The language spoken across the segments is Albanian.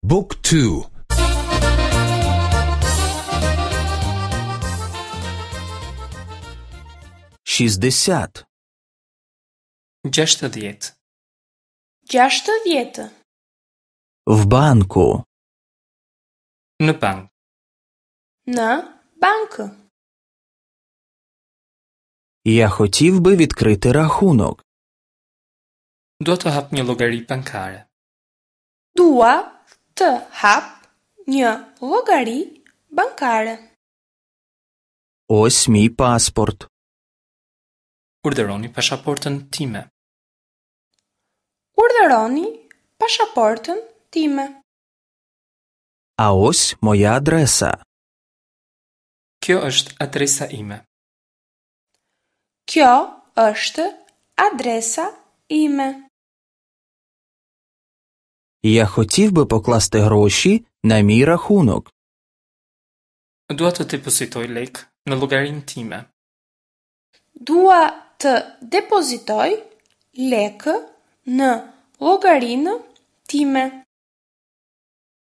Book 2 60. 60. 60. В банку. Në bank. Në bankë. Я хотів би відкрити рахунок. Dua të hap një llogari bankare. Dua të hap një llogari bankare. Ось мій паспорт. Urdhëroni pasaportën time. Urdhëroni pasaportën time. А ось моя адреса. Kjo është adresa ime. Kjo është adresa ime. Я хотів би покласти гроші на мій рахунок. Dua të depozitoj lek në llogarinë time. Dua të depozitoj lekë në llogarinë time.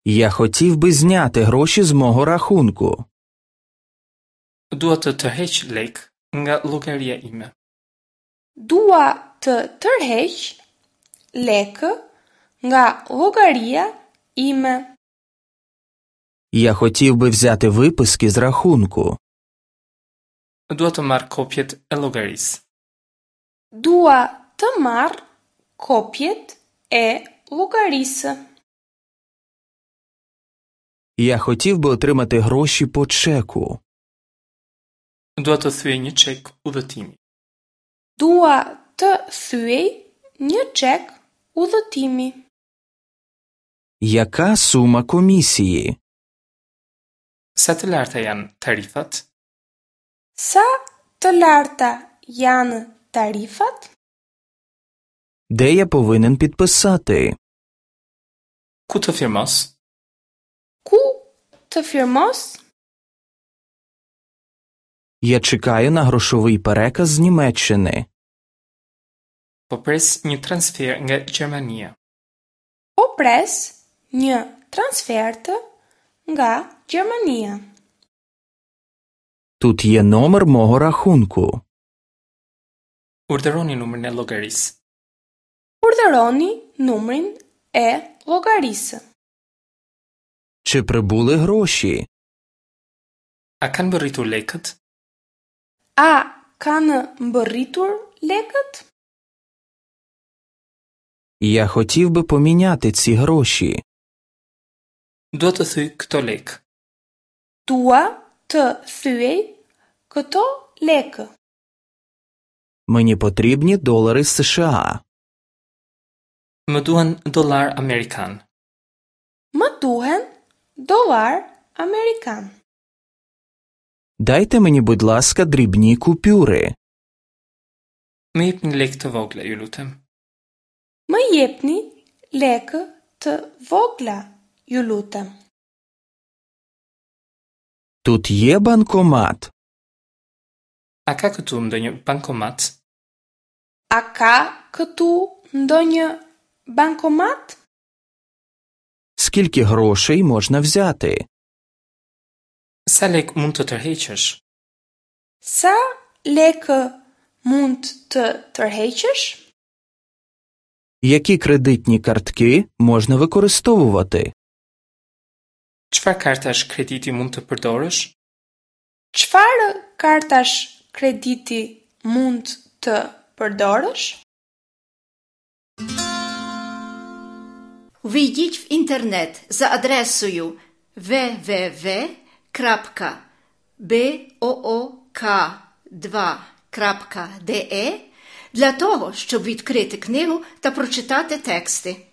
Я хотів би зняти гроші з мого рахунку. Dua të tërheq lek nga llogaria ime. Dua të tërheq lekë nga llogaria ime. Я хотів би взяти виписки з рахунку. Dua të marr kopjet e llogarisë. Dua të marr kopjet e llogarisë. Я хотів би отримати гроші по чеку. Dua të thyej një çek udhëtimi. Dua të thyej një çek udhëtimi. Яка сума комісії? Sa të larta janë tarifat? Sa të larta janë tarifat? Де я повинен підписати? Ku të firmos? Ku të firmos? Я чекаю на грошовий переказ з Німеччини. Po pres një transfer nga Gjermania. Po pres një transfertë nga Gjermania. Тут є номер мого рахунку. Urdhëroni numrin e llogarisë. Urdhëroni numrin e llogarisë. Чи прибули гроші? A kanë mbërritur lekët? A kanë mbërritur lekët? Я хотів би поміняти ці гроші. Dua të thyej këto lekë. Dua të thyej këto lekë. Мені потрібні долари США. Më duhen dollar amerikan. Më duhen dollar amerikan. Дайте мені, будь ласка, дрібні купюри. Më jepni lekë të vogla, ju lutem. Më jepni lekë të vogla, ju lutem. Тут є банкомат. A ka këtu ndonjë bankomat? A ka këtu ndonjë bankomat? Скільки грошей можна взяти? Sa lek mund të tërheqësh? Sa lekë mund të tërheqësh? Які кредитні картки можна використовувати? Çfarë kartash krediti mund të përdorësh? Çfarë kartash krediti mund të përdorësh? Увійдіть в інтернет за адресою www.book2.de для того, щоб відкрити книгу та прочитати тексти.